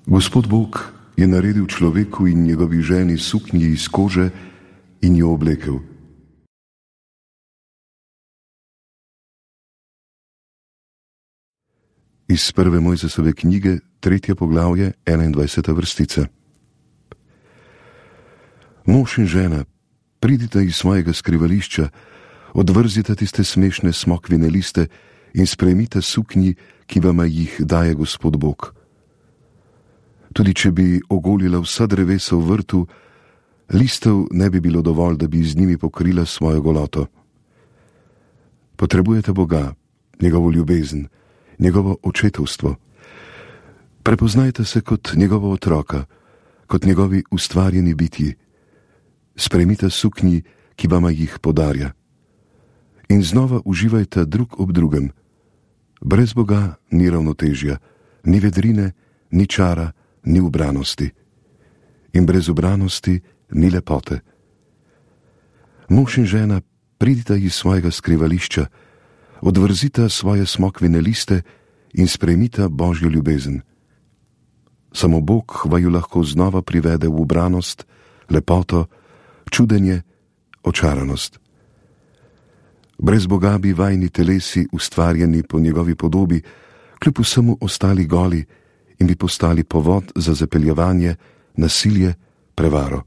Gospod Bog je naredil človeku in njegovi ženi suknji iz kože in jo oblekel. Iz prve Mojzesove knjige, 3. poglavje, 21. vrstica. Mož in žena, pridite iz svojega skrivališča, odvrzite tiste smešne smokvine liste in sprejmite suknji, ki vama jih daje Gospod Bog. Tudi če bi ogolila vsa drevesa v vrtu, listov ne bi bilo dovolj, da bi z njimi pokrila svojo goloto. Potrebujete Boga, njegovo ljubezen, njegovo očetovstvo. Prepoznajte se kot njegova otroka, kot njegovi ustvarjeni bitji. Sprejmite suknji, ki vama jih podarja. In znova uživajte drug ob drugem. Brez Boga ni ravnotežja, ni vedrine, ni čara, ni ubranosti. In brez ubranosti ni lepote. Mož in žena, pridite iz svojega skrivališča, odvrzite svoje smokvine liste in sprejmite Božjo ljubezen. Samo Bog vaju lahko znova privede v ubranost, lepoto, čudenje, očaranost. Brez Boga bi vajni telesi, ustvarjeni po njegovi podobi, kljub vsemu ostali goli in bi postali povod za zapeljevanje, nasilje, prevaro.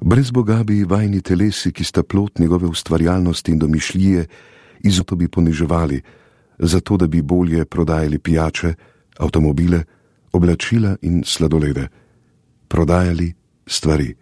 Brez Boga bi vajni telesi, ki sta plod njegove ustvarjalnosti in domišljije, izuto bi poniževali, zato da bi bolje prodajali pijače, avtomobile, oblačila in sladolede. Prodajali stvari.